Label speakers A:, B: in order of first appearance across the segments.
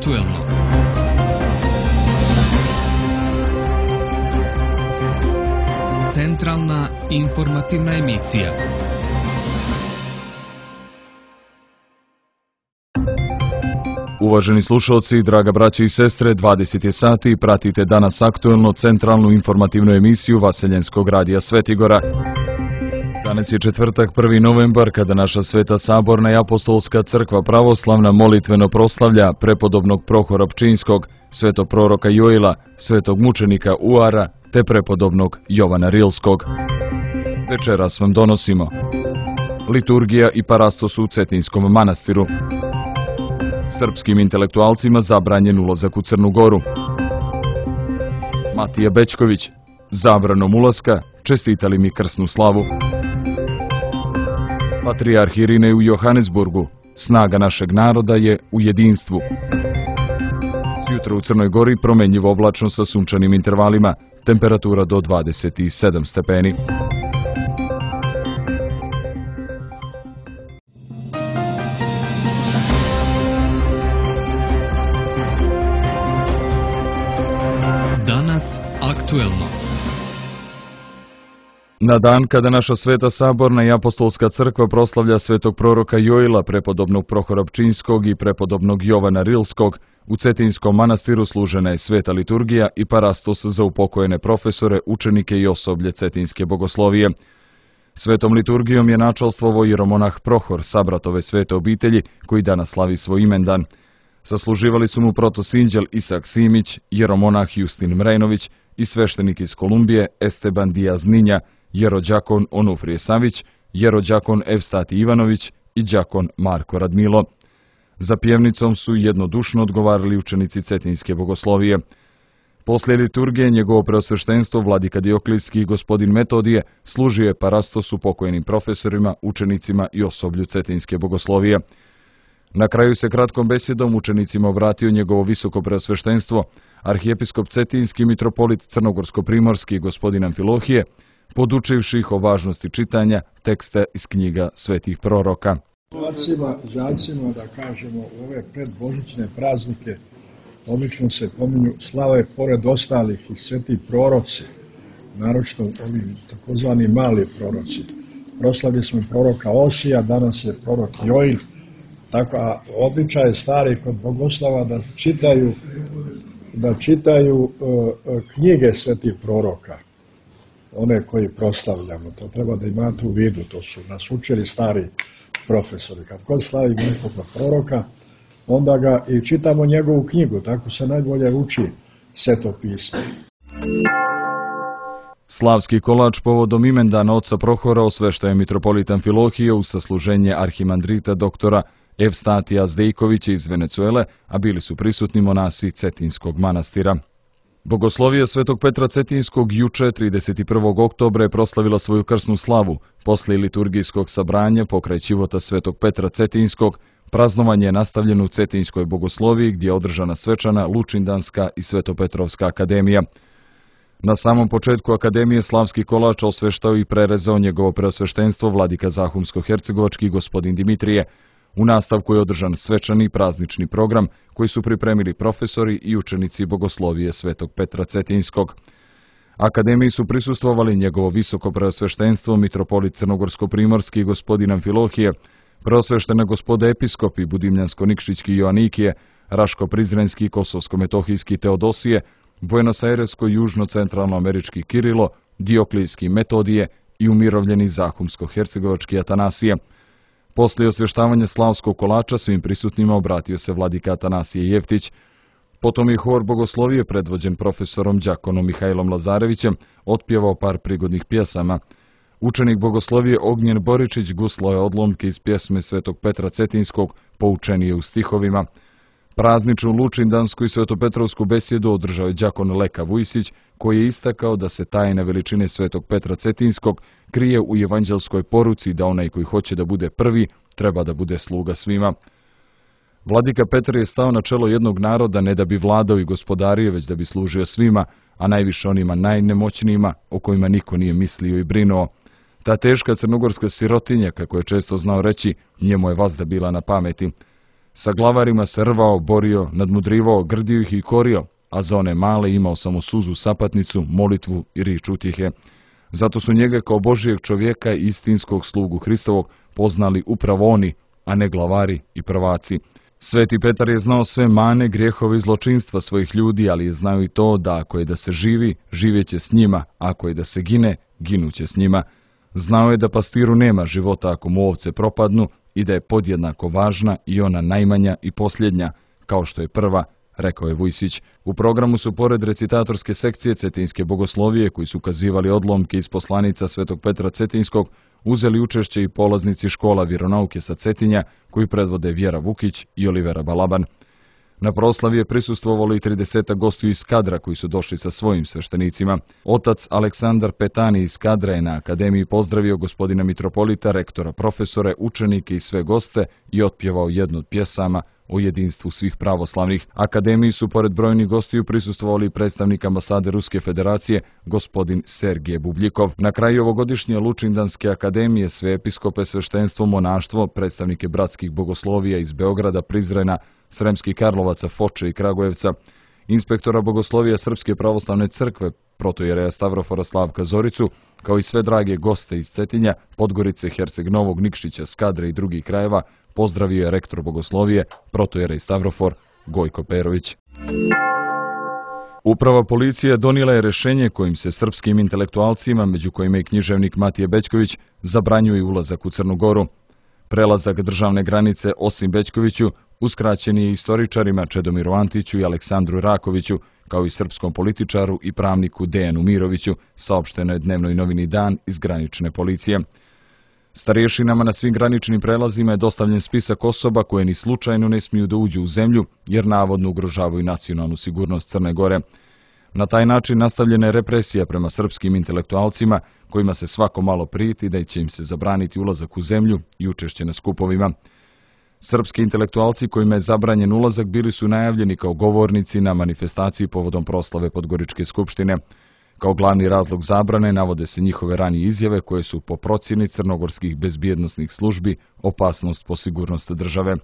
A: aktuelno. Centralna informativna emisija.
B: Uvaženi slušalci, draga braće i sestre, 20 je sati, pratite danas aktuelno centralnu informativnu emisiju Vaseljenskog radija Svetigora. Danas je četvrtak, 1. novembar, kada naša Sveta Saborna i Apostolska crkva pravoslavna molitveno proslavlja prepodobnog Prohora Pčinjskog, svetog proroka Joila, svetog mučenika Uara, te prepodobnog Jovana Rilskog. Večeras vam donosimo liturgija i parastos u Cetinskom manastiru. Srpskim intelektualcima zabranjen ulazak u Crnu Goru. Matija Bećković, zabranom ulaska, čestitali mi krsnu slavu. Patrijarh Irinej u Johannesburgu, snaga našeg naroda je u jedinstvu. Sjutra u Crnoj Gori promenljivo oblačno sa sunčanim intervalima, temperatura do 27 stepeni.
A: Danas aktuelno.
B: Na dan kada naša Sveta Saborna i Apostolska crkva proslavlja svetog proroka Joila, prepodobnog Prohora Pčinjskog i prepodobnog Jovana Rilskog, u Cetinskom manastiru služena je sveta liturgija i parastos za upokojene profesore, učenike i osoblje Cetinske bogoslovije. Svetom liturgijom je načalstvovao jeromonah Prohor, sabratove svete obitelji, koji danas slavi svoj imendan. Sasluživali su mu protosinđel Isak Simić, jeromonah Justin Mrejnović i sveštenik iz Kolumbije Esteban Dijaz Ninja, jerođakon Onufrije Savić, jerođakon Evstati Ivanović i đakon Marko Radmilo. Za pjevnicom su jednodušno odgovarali učenici Cetinske bogoslovije. Poslije liturgije njegovo preosveštenstvo vladika Dioklijski i gospodin Metodije služio je parastos upokojenim profesorima, učenicima i osoblju Cetinske bogoslovije. Na kraju se kratkom besjedom učenicima obratio njegovo visoko preosveštenstvo, arhijepiskop Cetinski mitropolit Crnogorsko-primorski gospodin Amfilohije, podučivši ih o važnosti čitanja teksta iz knjiga svetih proroka.
C: Đacima da kažemo u ove predbožićne praznike obično se pominju slave pored ostalih i sveti proroci, naročito ovi takozvani mali proroci. Proslavili smo proroka Osija, danas je prorok Joil, tako a običaj je stari kod bogoslava da čitaju knjige svetih proroka, one koji proslavljamo. To treba da imate u vidu, to su nas učili stari profesori. Kad god slavi nekog proroka, onda ga i čitamo njegovu knjigu, tako se najbolje uči Sveto pismo.
B: Slavski kolač povodom imendana oca Prohora osveštao je mitropolit Amfilohije u sasluženje arhimandrita doktora Evstatija Zdejkovića iz Venecuele, a bili su prisutni monasi Cetinskog manastira. Bogoslovija svetog Petra Cetinskog juče, 31. oktobra, je proslavila svoju krsnu slavu. Poslije liturgijskog sabranja pokraj ćivota svetog Petra Cetinskog, praznovanje je nastavljeno u Cetinskoj bogosloviji, gdje je održana svečana Lučindanska i Svetopetrovska akademija. Na samom početku akademije slavski kolač osveštao i prerezao njegovo preosveštenstvo vladika Zahumsko-hercegovački gospodin Dimitrije. U nastavku je održan svečani praznični program koji su pripremili profesori i učenici bogoslovije svetog Petra Cetinskog. Akademiji su prisustvovali njegovo visoko preosveštenstvo mitropolit Crnogorsko-primorski gospodin Amfilohije, preosveštena gospoda episkopi Budimljansko-Nikšićki Joanikije, Raško-Prizrenski Kosovsko-Metohijski Teodosije, Buenos-Airesko-Južno-Centralno-Američki Kirilo, Dioklijski Metodije i umirovljeni Zahumsko-hercegovački Atanasije. Poslije osvještavanja slavskog kolača svim prisutnima obratio se vladika Atanasije Jeftić. Potom je hor bogoslovije predvođen profesorom đakonom Mihajlom Lazarevićem otpjevao par prigodnih pjesama. Učenik bogoslovije Ognjen Boričić guslao je odlomke iz pjesme svetog Petra Cetinskog, poučenije u stihovima. Prazničnu Lučindansku i Svetopetrovsku besjedu održao je đakon Leka Vujsić, koji je istakao da se tajna veličine svetog Petra Cetinskog krije u evanđelskoj poruci da onaj koji hoće da bude prvi, treba da bude sluga svima. Vladika Petar je stao na čelo jednog naroda ne da bi vladao i gospodario, već da bi služio svima, a najviše onima najnemoćnijima, o kojima niko nije mislio i brinuo. Ta teška crnogorska sirotinja, kako je često znao reći, njemu je vazda bila na pameti. Sa glavarima se rvao, borio, nadmudrivao, grdio ih i korio, a za one male imao samo suzu, sapatnicu, molitvu i rič utjehe. Zato su njega kao Božijeg čovjeka i istinskog slugu Hristovog poznali upravo oni, a ne glavari i prvaci. Sveti Petar je znao sve mane, grijehove i zločinstva svojih ljudi, ali je znao i to da ako je da se živi, živjeće s njima, ako je da se gine, ginuće s njima. Znao je da pastiru nema života ako mu ovce propadnu i da je podjednako važna i ona najmanja i posljednja, kao što je prva, rekao je Vujsić. U programu su pored recitatorske sekcije Cetinske bogoslovije, koji su ukazivali odlomke iz poslanica Svetog Petra Cetinskog, uzeli učešće i polaznici škola vjeronauke sa Cetinja, koji predvode Vjera Vukić i Olivera Balaban. Na proslavi je prisustvovalo i 30 gostiju iz Skadra koji su došli sa svojim sveštenicima. Otac Aleksandar Petani iz Skadra je na akademiji pozdravio gospodina mitropolita, rektora, profesore, učenike i sve goste i otpjevao jednu od pjesama o jedinstvu svih pravoslavnih. Akademiji su pored brojnih gostiju prisustvovali i predstavnik ambasade Ruske federacije, gospodin Sergije Bubljikov. Na kraju ovogodišnje Lučindanske akademije sve episkope, sveštenstvo, monaštvo, predstavnike bratskih bogoslovija iz Beograda, Prizrena, Sremskih Karlovaca, Foče i Kragujevca, inspektora bogoslovija Srpske pravoslavne crkve, protojereja Stavrofora Slavka Zoricu, kao i sve drage goste iz Cetinja, Podgorice, Herceg Novog, Nikšića, Skadre i drugih krajeva, pozdravio je rektor bogoslovije, protojerej Stavrofor Gojko Perović. Uprava policije donijela je rješenje kojim se srpskim intelektualcima, među kojima i književnik Matije Bećković, zabranjuje ulazak u Crnu Goru. Prelazak državne granice osim Bećkoviću uskraćen je istoričarima Čedomiru Antiću i Aleksandru Rakoviću, kao i srpskom političaru i pravniku Dejanu Miroviću, saopšteno je dnevnoj novini Dan iz granične policije. Starješinama na svim graničnim prelazima je dostavljen spisak osoba koje ni slučajno ne smiju da uđu u zemlju, jer navodno ugrožavaju nacionalnu sigurnost Crne Gore. Na taj način nastavljena je represija prema srpskim intelektualcima, kojima se svako malo prijeti da će im se zabraniti ulazak u zemlju i učešće na skupovima. Srpski intelektualci kojima je zabranjen ulazak bili su najavljeni kao govornici na manifestaciji povodom proslave Podgoričke skupštine. Kao glavni razlog zabrane navode se njihove ranije izjave koje su po procjeni crnogorskih bezbjednosnih službi opasnost po sigurnost države.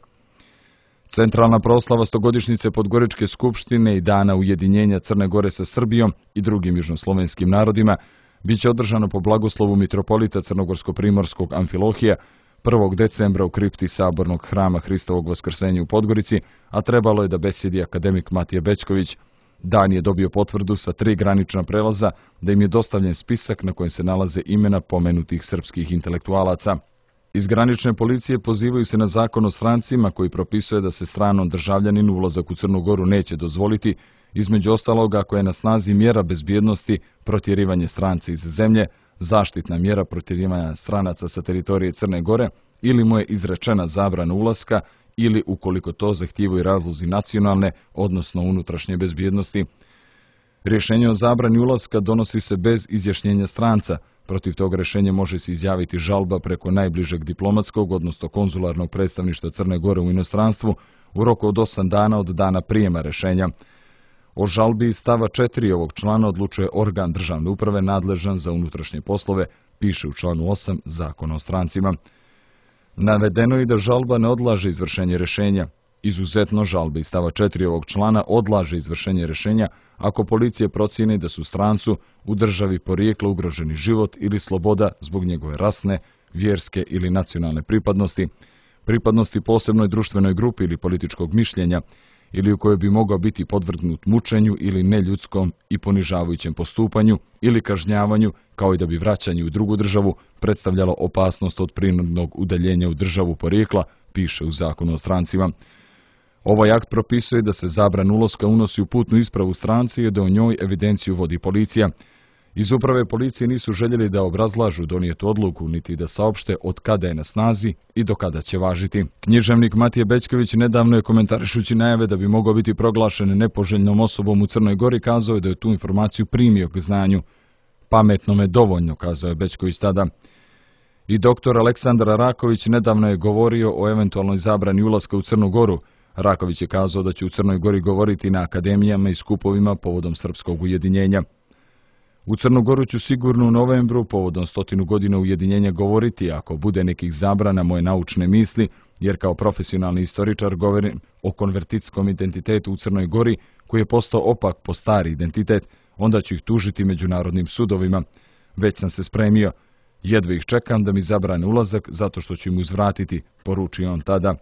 B: Centralna proslava 100-godišnjice Podgoričke skupštine i Dana ujedinjenja Crne Gore sa Srbijom i drugim južnoslovenskim narodima biće održano po blagoslovu mitropolita Crnogorsko-primorskog Amfilohija 1. decembra u kripti Sabornog hrama Hristovog Vaskrsenja u Podgorici, a trebalo je da besjedi akademik Matija Bećković. Dan je dobio potvrdu sa 3 granična prelaza da im je dostavljen spisak na kojem se nalaze imena pomenutih srpskih intelektualaca. Iz granične policije pozivaju se na zakon o strancima koji propisuje da se stranom državljaninu ulazak u Crnu Goru neće dozvoliti, između ostalog ako je na snazi mjera bezbjednosti, protjerivanje stranca iz zemlje, zaštitna mjera protjerivanja stranaca sa teritorije Crne Gore ili mu je izrečena zabrana ulaska ili ukoliko to zahtijevaju razlozi nacionalne, odnosno unutrašnje bezbjednosti. Rješenje o zabrani ulaska donosi se bez izjašnjenja stranca. Protiv tog rješenja može se izjaviti žalba preko najbližeg diplomatskog, odnosno konzularnog predstavništva Crne Gore u inostranstvu u roku od 8 dana od dana prijema rješenja. O žalbi iz stava 4 ovog člana odlučuje organ državne uprave nadležan za unutrašnje poslove, piše u članu 8 Zakona o strancima. Navedeno je da žalba ne odlaže izvršenje rješenja. Izuzetno žalbe iz stava 4 ovog člana odlaže izvršenje rješenja ako policija procijeni da su strancu u državi porijekla ugroženi život ili sloboda zbog njegove rasne, vjerske ili nacionalne pripadnosti posebnoj društvenoj grupi ili političkog mišljenja, ili u kojoj bi mogao biti podvrgnut mučenju ili neljudskom i ponižavajućem postupanju ili kažnjavanju, kao i da bi vraćanje u drugu državu predstavljalo opasnost od prinudnog udaljenja u državu porijekla, piše u Zakonu o strancima. Ovaj akt propisuje da se zabrana ulaska unosi u putnu ispravu stranci i da o njoj evidenciju vodi policija. Iz uprave policije nisu željeli da obrazlažu donijetu odluku, niti da saopšte od kada je na snazi i do kada će važiti. Književnik Matije Bećković nedavno je komentarišući najave da bi mogao biti proglašen nepoželjnom osobom u Crnoj Gori kazao je da je tu informaciju primio k znanju. Pametno me dovoljno, kazao je Bećković tada. I doktor Aleksandar Raković nedavno je govorio o eventualnoj zabrani ulaska u Crnu Goru. Raković je kazao da će u Crnoj Gori govoriti na akademijama i skupovima povodom srpskog ujedinjenja. U Crnu Goru ću sigurno u novembru, povodom 100 godina ujedinjenja, govoriti, ako bude nekih zabrana, moje naučne misli, jer kao profesionalni istoričar govorim o konvertitskom identitetu u Crnoj Gori, koji je postao opak po stari identitet, onda ću ih tužiti međunarodnim sudovima. Već sam se spremio. Jedva ih čekam da mi zabrane ulazak, zato što ću im uzvratiti, poručio on tada.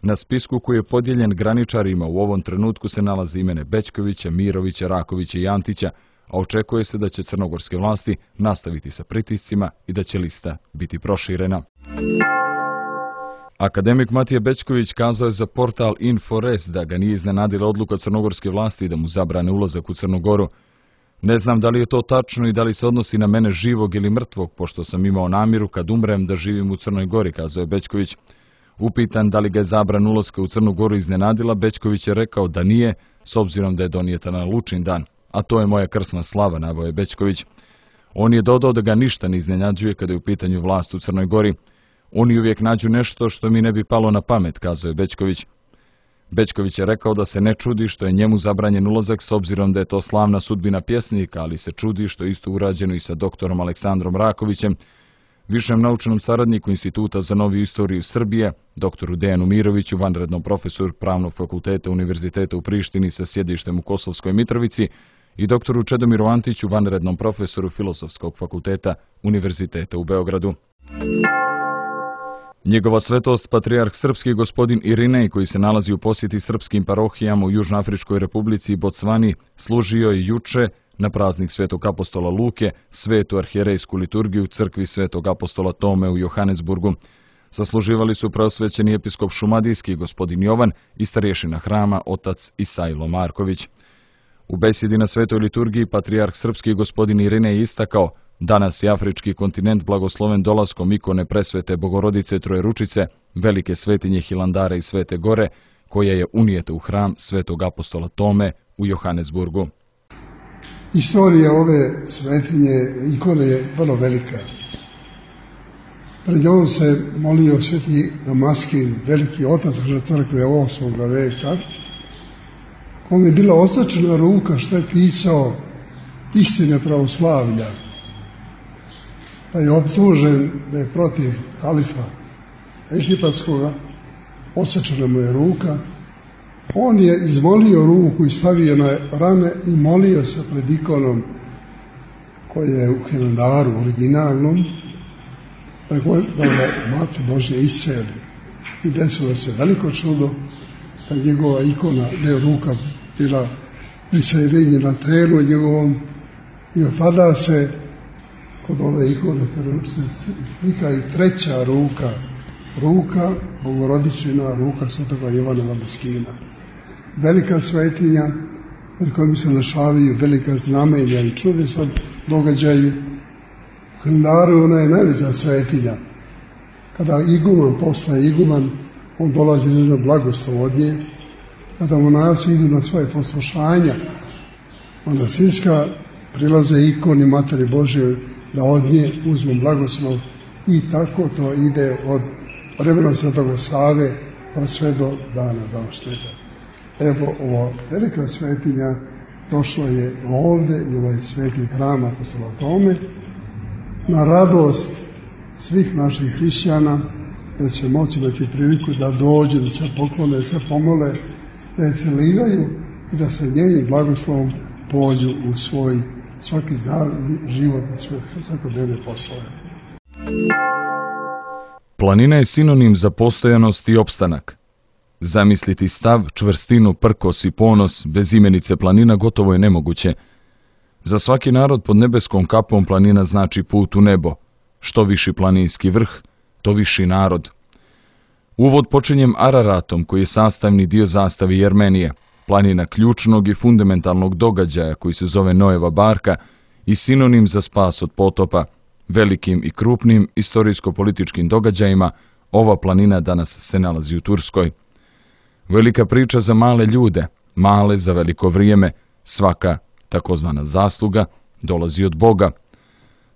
B: Na spisku koji je podijeljen graničarima u ovom trenutku se nalaze imene Bećkovića, Mirovića, Rakovića i Antića, a očekuje se da će crnogorske vlasti nastaviti sa pritiscima i da će lista biti proširena. Akademik Matija Bećković kazao je za portal Infores da ga nije iznenadila odluka crnogorske vlasti da mu zabrane ulazak u Crnu Goru. Ne znam da li je to tačno i da li se odnosi na mene živog ili mrtvog, pošto sam imao namjeru kad umrem da živim u Crnoj Gori, kazao je Bećković. Upitan da li ga je zabrana ulaska u Crnu Goru iznenadila, Bećković je rekao da nije, s obzirom da je donijeta na Lučin dan. A to je moja krsna slava, naveo je Bećković. On je dodao da ga ništa ne iznenađuje kada je u pitanju vlast u Crnoj Gori. Oni uvijek nađu nešto što mi ne bi palo na pamet, kazao je Bećković. Bećković je rekao da se ne čudi što je njemu zabranjen ulazak s obzirom da je to slavna sudbina pjesnika, ali se čudi što je isto urađeno i sa doktorom Aleksandrom Rakovićem, višem naučnom saradniku Instituta za noviju istoriju Srbije, doktoru Dejanu Miroviću, vanrednom profesoru Pravnog fakulteta Univerziteta u Prištini sa sjedištem u Kosovskoj Mitrovici i doktoru Čedomiru Antiću, vanrednom profesoru Filozofskog fakulteta Univerziteta u Beogradu. Njegova svetost, patrijarh srpski gospodin Irinej, koji se nalazi u posjeti srpskim parohijama u Južnoafričkoj republici i Bocvani, služio je juče na praznik Svetog apostola Luke, svetu arhijerejsku liturgiju u crkvi Svetog apostola Tome u Johannesburgu. Sasluživali su preosvećeni episkop šumadijski gospodin Jovan i starješina hrama otac Isajlo Marković. U besjedi na svetoj liturgiji patrijarh srpski gospodin Irinej istakao: danas je afrički kontinent blagosloven dolaskom ikone presvete Bogorodice Trojeručice, velike svetinje Hilandara i Svete Gore, koja je unijeta u hram Svetog apostola Tome u Johannesburgu.
D: Istorija ove svetinje, ikone, je vrlo velika. Pred njom se molio sveti Damaskin, veliki otac crkve 8. veka, kome je bila označena ruka što je pisao istine pravoslavlja, pa je optužen da je protiv halifa egipatskoga, odsečena mu je ruka. On je izmolio ruku i stavio na rame i molio se pred ikonom koja je u Hilandaru originalnom, da ga Mati Božje iseli. I desilo se veliko čudo da njegova ikona, ne ruka, bila prisajedinjena telu njegovom i opada se kod ove ikone slika i treća ruka Bogorodičina, ruka Svetoga Jovana Damaskina. Velika svetinja pred kojom se dešavaju velika znamenja i čudesni događaji. U Hilandaru ona je najveća svetinja. Kada iguman postaje iguman, on dolazi na blagoslov od nje. Kada monasi idu na svoje poslušanja, onda svinska prilaze ikoni Materi Božje da od nje uzmu blagoslov i tako to ide od vremena Svetoga Save pa sve do dana današnjega. Evo, ova velika svetinja došla je ovde i ovaj sveti hram apostola Tome na radost svih naših hrišćana, da će moći imati priliku da dođe, da se poklone, da se pomole, da je celivaju i da se njenim blagoslovom pođu u svoj svaki dan život i svoje svakodnevne poslove.
B: Planina je sinonim za postojanost i opstanak. Zamisliti stav, čvrstinu, prkos i ponos bez imenice planina gotovo je nemoguće. Za svaki narod pod nebeskom kapom planina znači put u nebo. Što viši planinski vrh, to viši narod. Uvod počinjem Araratom, koji je sastavni dio zastave Jermenije, planina ključnog i fundamentalnog događaja koji se zove Noeva barka i sinonim za spas od potopa. Velikim i krupnim istorijsko-političkim događajima ova planina danas se nalazi u Turskoj. Velika priča za male ljude, male za veliko vrijeme, svaka takozvana zasluga dolazi od Boga.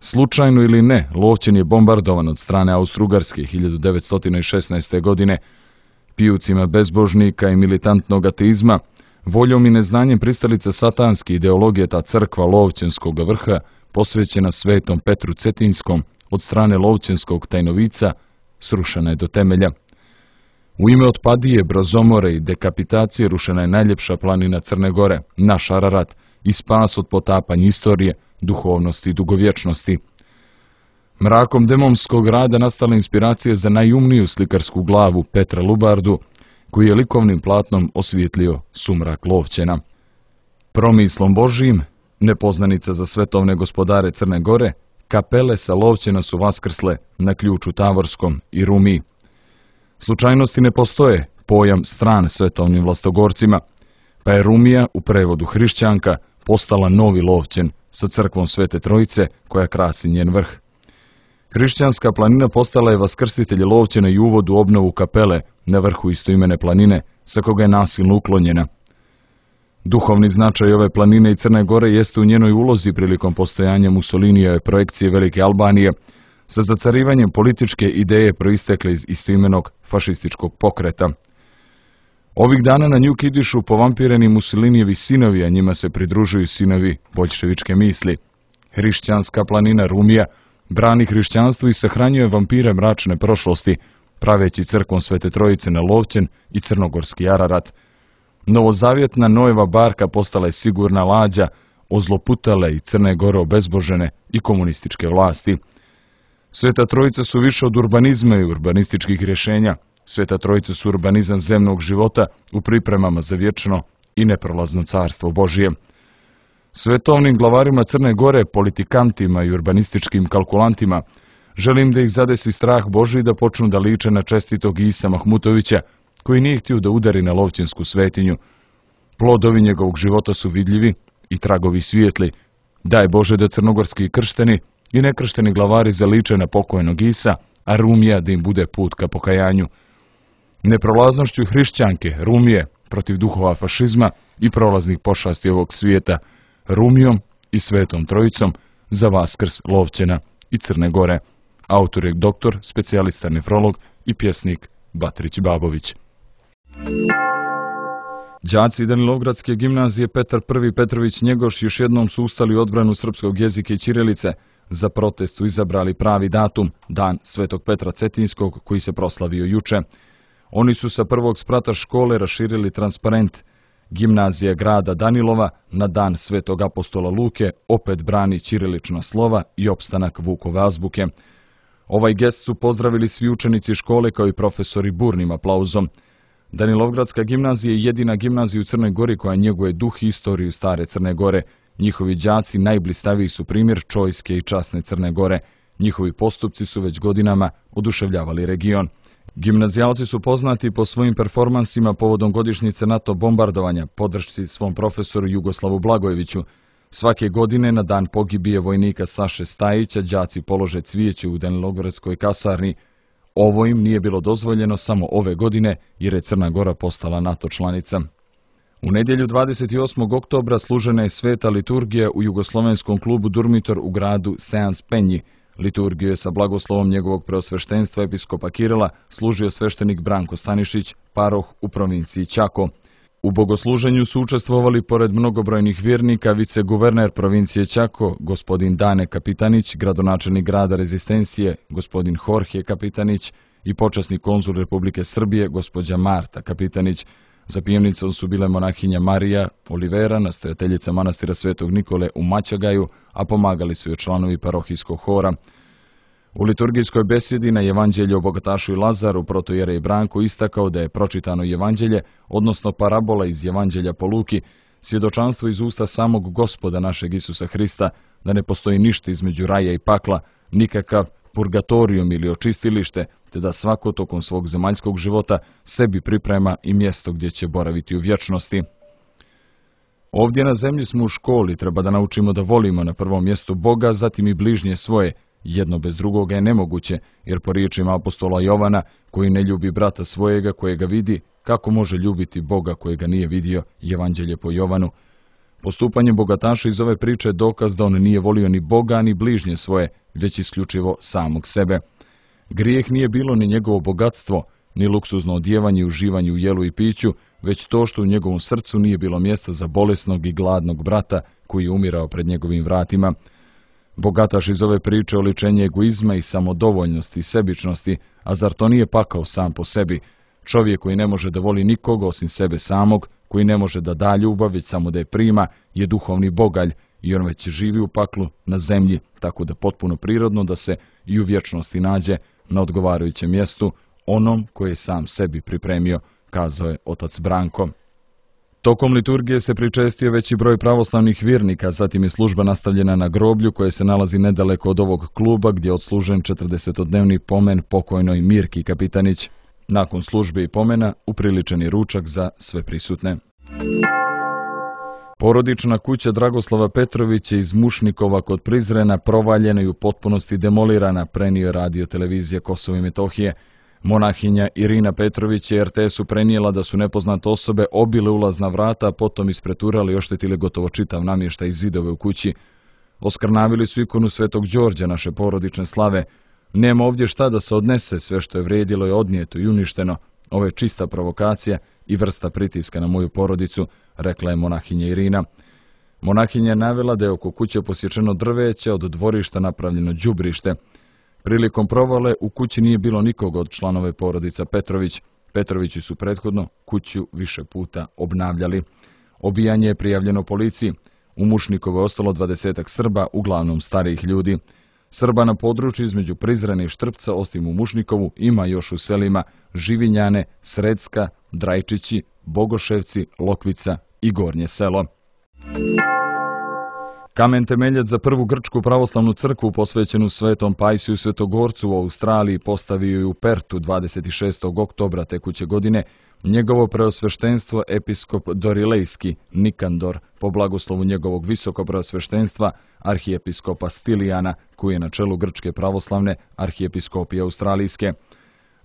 B: Slučajno ili ne, Lovćen je bombardovan od strane Austro-Ugarske 1916. godine. Pijucima bezbožnika i militantnog ateizma Voljom i neznanjem pristalica satanske ideologije ta crkva Lovćenskog vrha, posvećena Svetom Petru Cetinskom od strane Lovćenskog tajnovica, srušena je do temelja. U ime otpadije, brozomore i dekapitacije rušena je najljepša planina Crne Gore, naš Ararat, i spas od potapanja istorije, duhovnosti i dugovječnosti. Mrakom demomskog rada nastala inspiracija za najumniju slikarsku glavu Petra Lubardu, koji je likovnim platnom osvijetlio sumrak Lovćena. Promislom Božijim, nepoznanica za svetovne gospodare Crne Gore, kapele sa Lovćena su vaskrsle na Ključu Tavorskom i Rumiji. Slučajnosti ne postoje, pojam stran svetovnim vlastogorcima, pa je Rumija, u prevodu hrišćanka, postala novi Lovćen sa crkvom Svete Trojice koja krasi njen vrh. Hrišćanska planina postala je vaskrsitelj Lovćena i uvod u obnovu kapele na vrhu istoimene planine, sa koga je nasilno uklonjena. Duhovni značaj ove planine i Crne Gore jeste u njenoj ulozi prilikom postojanja Mussolinijeve projekcije Velike Albanije, sa zacarivanjem političke ideje proistekle iz istoimenog fašističkog pokreta. Ovih dana na nju kidišu povampireni Mussolinijevi sinovi, a njima se pridružuju sinovi boljševičke misli. Hrišćanska planina Rumija brani hrišćanstvo i sahranjuje vampire mračne prošlosti, praveći crkvom Svete Trojice na Lovćen i crnogorski Ararat. Novozavjetna Noeva barka postala je sigurna lađa ozloputale i Crne Gore obezbožene i komunističke vlasti. Sveta Trojica su više od urbanizma i urbanističkih rješenja. Sveta Trojica su urbanizam zemnog života u pripremama za vječno i neprolazno carstvo Božije. Svetovnim glavarima Crne Gore, politikantima i urbanističkim kalkulantima, želim da ih zadesi strah Božiji da počnu da liče na čestitog Isa Mahmutovića, koji nije htio da udari na Lovćensku svetinju. Plodovi njegovog života su vidljivi i tragovi svijetli. Daj Bože da crnogorski kršteni i nekršteni glavari zaliče na pokojnog Isa, a Rumija da im bude put ka pokajanju. Neprolaznošću hrišćanke, Rumije, protiv duhova fašizma i prolaznih pošasti ovog svijeta, Rumijom i Svetom Trojicom za vaskrs Lovćena i Crne Gore. Autor je doktor, specijalista nefrolog i pjesnik Batrić Babović. Đaci Danilovgradske gimnazije Petar I. Petrović Njegoš još jednom su ustali odbranu srpskog jezika i ćirilice. Za protest su izabrali pravi datum, dan Svetog Petra Cetinskog, koji se proslavio juče. Oni su sa prvog sprata škole raširili transparent. Gimnazija grada Danilova na dan Svetog apostola Luke opet brani ćirilična slova i opstanak Vukove azbuke. Ovaj gest su pozdravili svi učenici škole kao i profesori burnim aplauzom. Danilovgradska gimnazija je jedina gimnazija u Crnoj Gori koja njeguje duh i istoriju stare Crne Gore. Njihovi đaci najblistaviji su primjer čojske i časne Crne Gore. Njihovi postupci su već godinama oduševljavali region. Gimnazijalci su poznati po svojim performansima povodom godišnjice NATO bombardovanja, podršci svom profesoru Jugoslavu Blagojeviću. Svake godine na dan pogibije vojnika Saše Stajića đaci polože cvijeće u Danilovgradskoj kasarni. Ovo im nije bilo dozvoljeno samo ove godine jer je Crna Gora postala NATO članica. U nedjelju 28. oktobra služena je sveta liturgija u jugoslovenskom klubu Durmitor u gradu Seans Penji. Liturgiju je sa blagoslovom njegovog preosveštenstva episkopa Kirila služio sveštenik Branko Stanišić, paroh u provinciji Čako. U bogosluženju su učestvovali pored mnogobrojnih vjernika viceguverner provincije Čako, gospodin Dane Kapitanić, gradonačelnik grada Rezistencije, gospodin Jorge Kapitanić i počasni konzul Republike Srbije, gospođa Marta Kapitanić. Za pijemnicom su bile monahinja Marija Olivera, nastojateljica manastira Svetog Nikole u Mačagaju, a pomagali su joj članovi parohijskog hora. U liturgijskoj besjedi na Evanđelje o bogatašu i Lazaru protojerej Branko istakao da je pročitano Evanđelje, odnosno parabola iz Evanđelja po Luki, svjedočanstvo iz usta samog Gospoda našeg Isusa Hrista, da ne postoji ništa između raja i pakla, nikakav purgatorijum ili očistilište, te da svako tokom svog zemaljskog života sebi priprema i mjesto gdje će boraviti u vječnosti. Ovdje na zemlji smo u školi, treba da naučimo da volimo na prvom mjestu Boga, zatim i bližnje svoje. Jedno bez drugoga je nemoguće, jer po riječima apostola Jovana, koji ne ljubi brata svojega kojega vidi, kako može ljubiti Boga kojega nije vidio, Evanđelje po Jovanu. Postupanje bogataša iz ove priče je dokaz da on nije volio ni Boga ni bližnje svoje, već isključivo samog sebe. Grijeh nije bilo ni njegovo bogatstvo, ni luksuzno odjevanje i uživanje u jelu i piću, već to što u njegovom srcu nije bilo mjesta za bolesnog i gladnog brata koji je umirao pred njegovim vratima. Bogataš iz ove priče oličenje egoizma i samodovoljnosti i sebičnosti, a zar to nije pakao sam po sebi? Čovjek koji ne može da voli nikoga osim sebe samog, koji ne može da da ljubav, već samo da je prima, je duhovni bogalj i on već živi u paklu na zemlji, tako da potpuno prirodno da se i u vječnosti nađe na odgovarajućem mjestu, onom koje je sam sebi pripremio, kazao je otac Branko. Tokom liturgije se pričestio veći broj pravoslavnih vjernika, zatim je služba nastavljena na groblju koje se nalazi nedaleko od ovog kluba gdje je odslužen 40-dnevni pomen pokojnoj Mirki Kapitanić. Nakon službe i pomena upriličen je ručak za sve prisutne. Porodična kuća Dragoslava Petrovića iz Mušnikova kod Prizrena provaljena i u potpunosti demolirana, prenio je radio televizija Kosovo i Metohije. Monahinja Irina Petrović je RTS-u prenijela da su nepoznate osobe obile ulazna vrata, a potom ispreturali i oštetili gotovo čitav namještaj i zidove u kući. Oskrnavili su ikonu Svetog Đorđa, naše porodične slave. Nema ovdje šta da se odnese, sve što je vrijedilo je odnijeto i uništeno. Ovo je čista provokacija i vrsta pritiska na moju porodicu, rekla je monahinja Irina. Monahinja je navela da je oko kuće posječeno drveće, od dvorišta napravljeno đubrište. Prilikom provale u kući nije bilo nikoga od članove porodica Petrović. Petrovići su prethodno kuću više puta obnavljali. Obijanje je prijavljeno policiji. U Mušnikovu je ostalo 20 Srba, uglavnom starijih ljudi. Srba na području između Prizrena i Štrpca, osim u Mušnikovu, ima još u selima Živinjane, Sredska, Drajčići, Bogoševci, Lokvica i Gornje selo. Kamen temeljac za prvu grčku pravoslavnu crkvu posvećenu Svetom Pajsiju Svetogorcu u Australiji postavio je u Pertu 26. oktobra tekuće godine njegovo preosveštenstvo episkop Dorilejski Nikandor po blagoslovu njegovog visokopreosveštenstva arhijepiskopa Stilijana, koji je na čelu grčke pravoslavne arhijepiskopije australijske.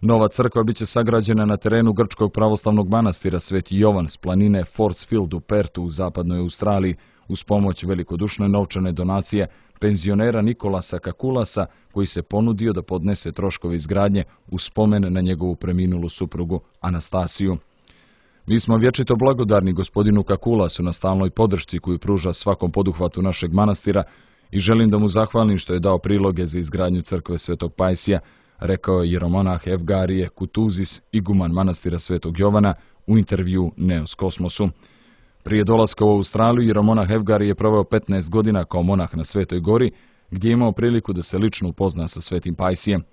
B: Nova crkva biće sagrađena na terenu grčkog pravoslavnog manastira Sveti Jovan s planine Forcefield u Pertu u zapadnoj Australiji, uz pomoć velikodušne novčane donacije penzionera Nikolasa Kakulasa, koji se ponudio da podnese troškove izgradnje u spomen na njegovu preminulu suprugu Anastasiju. Mi smo vječito blagodarni gospodinu Kakulasu na stalnoj podršci koju pruža svakom poduhvatu našeg manastira i želim da mu zahvalim što je dao priloge za izgradnju crkve Svetog Pajsija, rekao je jeromonah Evgarije Kutuzis, iguman manastira Svetog Jovana, u intervju Neos Kosmosu. Prije dolaska u Australiju, jeromonah Evgarije je proveo 15 godina kao monah na Svetoj Gori, gdje je imao priliku da se lično upozna sa Svetim Pajsijem.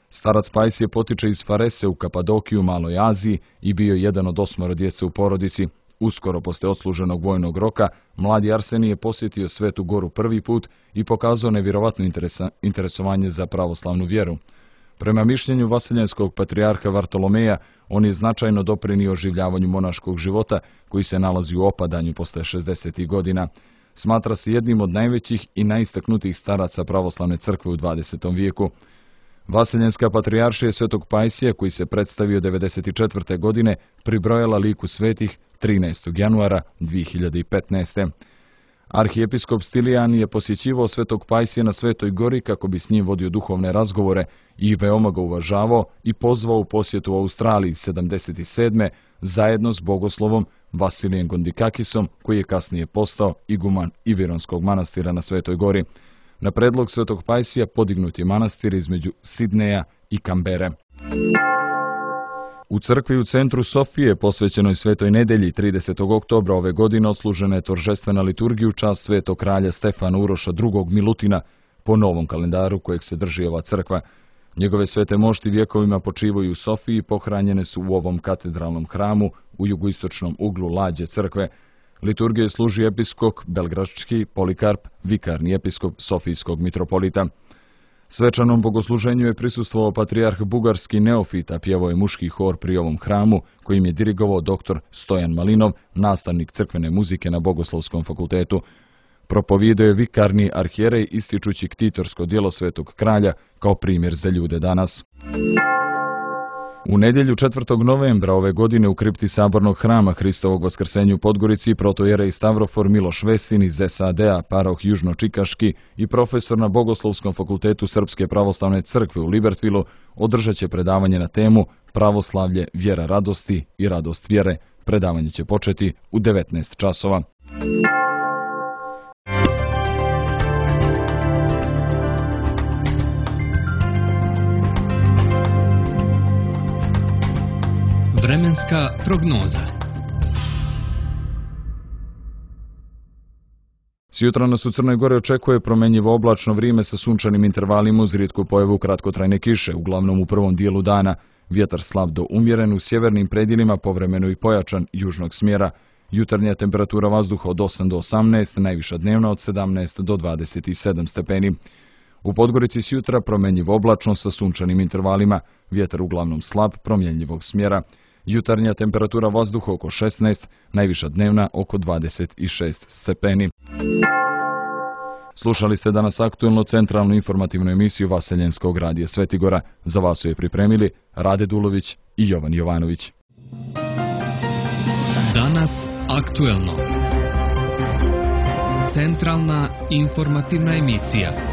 B: Starac Pajsije potiče iz Farese u Kapadokiju, Maloj Aziji i bio je jedan od 8 djece u porodici. Uskoro poslije odsluženog vojnog roka, mladi Arsenij je posjetio Svetu Goru prvi put i pokazao nevjerovatno interesovanje za pravoslavnu vjeru. Prema mišljenju vaseljenskog patrijarha Vartolomeja, on je značajno doprinio oživljavanju monaškog života koji se nalazi u opadanju posle 60. godina. Smatra se jednim od najvećih i najistaknutijih staraca pravoslavne crkve u 20. vijeku. Vaseljenska patrijaršija Svetog Pajsija, koji se predstavio 94. godine, pribrojala liku svetih 13. januara 2015. Arhijepiskop Stilijan je posjećivao Svetog Pajsija na Svetoj Gori kako bi s njim vodio duhovne razgovore i veoma ga uvažavao i pozvao u posjetu u Australiji 77. zajedno s bogoslovom Vasilijem Gondikakisom, koji je kasnije postao iguman Ivironskog manastira na Svetoj Gori. Na predlog Svetog Pajsija podignut je manastir između Sidneja i Kambere. U crkvi u centru Sofije, posvećenoj Svetoj nedelji, 30. oktobra ove godine odslužena je toržestvena liturgija u čast svetog kralja Stefana Uroša II. Milutina po novom kalendaru kojeg se drži ova crkva. Njegove svete mošti vjekovima počivaju u Sofiji, pohranjene su u ovom katedralnom hramu u jugoistočnom uglu lađe crkve. Liturgije služi episkop belgradski Polikarp, vikarni episkop Sofijskog mitropolita. Svečanom bogosluženju je prisustvovao patrijarh bugarski Neofita, pjevao je muški hor pri ovom hramu, kojim je dirigovao dr. Stojan Malinov, nastavnik crkvene muzike na Bogoslovskom fakultetu. Propovijedao je vikarni arhijerej ističući ktitorsko djelo Svetog kralja kao primjer za ljude danas. U nedjelju 4. novembra ove godine u kripti Sabornog hrama Hristovog Vaskrsenja u Podgorici protojerej Stavrofor Miloš Vesin iz SAD-a, paroh Južno-Čikaški i profesor na Bogoslovskom fakultetu Srpske pravoslavne crkve u Libertvilu održat će predavanje na temu Pravoslavlje, vjera radosti i radost vjere. Predavanje će početi u 19 časova.
A: Vremenska prognoza.
B: Sjutra nas u Crnoj Gori očekuje promjenjivo oblačno vrijeme sa sunčanim intervalima uz rijetku pojavu kratkotrajne kiše, uglavnom u prvom dijelu dana. Vjetar slab do umjeren, u sjevernim predjelima povremeno i pojačan južnog smjera. Jutarnja temperatura vazduha od 8 do 18, najviša dnevna od 17 do 27 stepeni. U Podgorici sjutra promjenjivo oblačno sa sunčanim intervalima, vjetar uglavnom slab, promjenjivog smjera. Jutarnja temperatura vazduha oko 16, najviša dnevna oko 26 stepeni. Slušali ste danas aktuelno centralnu informativnu emisiju Vaseljenskog radija Svetigora. Za vas su je pripremili Rade Dulović i Jovan Jovanović.
A: Danas aktuelno. Centralna informativna emisija.